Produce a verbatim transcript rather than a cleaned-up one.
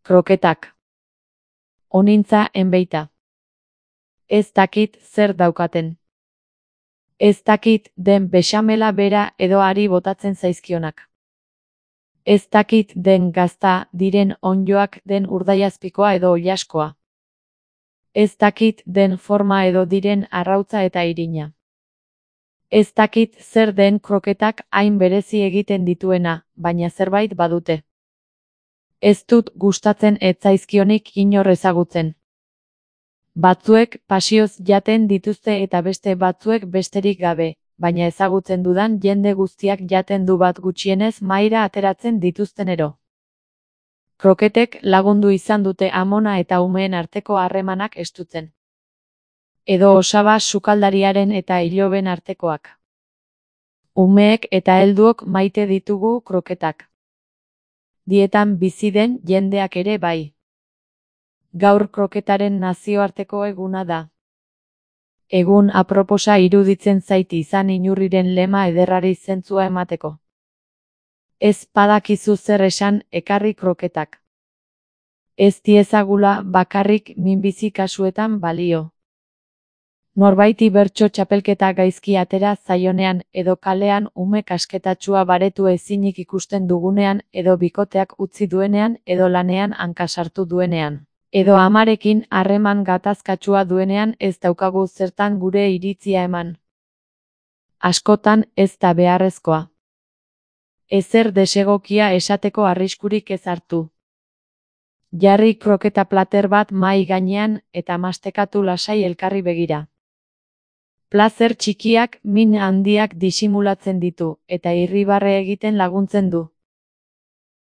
Kroketak. Onintza enbeita. Ez dakit zer daukaten. Ez dakit den bexamela bera edo ari botatzen zaizkionak. Ez dakit den gazta diren onddoak den urdaiazpikoa edo oilaskoa. Ez dakit den forma edo diren arrautza eta irina. Ez dakit zer den kroketak hain berezi egiten dituena, baina zerbait badute. Ez dut gustatzen ez zaizkionik inor ezagutzen. Batzuek pasioz jaten dituzte eta beste batzuek besterik gabe, baina ezagutzen dudan jende guztiak jaten du bat gutxienez mahaira ateratzen dituztenero. Kroketek lagundu izan dute amona eta umeen arteko harremanak estutzen. Edo osaba sukaldariaren eta iloben artekoak. Umeek eta helduok maite ditugu kroketak. Dietan bizi den jendeak ere bai. Gaur kroketaren nazioarteko eguna da. Egun aproposa iruditzen zait izan inurriren lema ederrari zentzua emateko. Ez badakizu zer esan, ekarri kroketak. Ez diezagula bakarrik minbizi kasuetan balio. Norbaiti bertso txapelketa gaizki atera zaionean edo kalean ume kasketatsua baretu ezinik ikusten dugunean edo bikoteak utzi duenean edo lanean hanka sartu duenean. Edo amarekin harreman gatazkatsua duenean ez daukagu zertan gure iritzia eman. Askotan ez da beharrezkoa. Ezer desegokia esateko arriskurik ez hartu. Jarri kroketa plater bat mahai gainean eta mastekatu lasai elkarri begira. Plazer txikiak min handiak disimulatzen ditu eta irribarre egiten laguntzen du.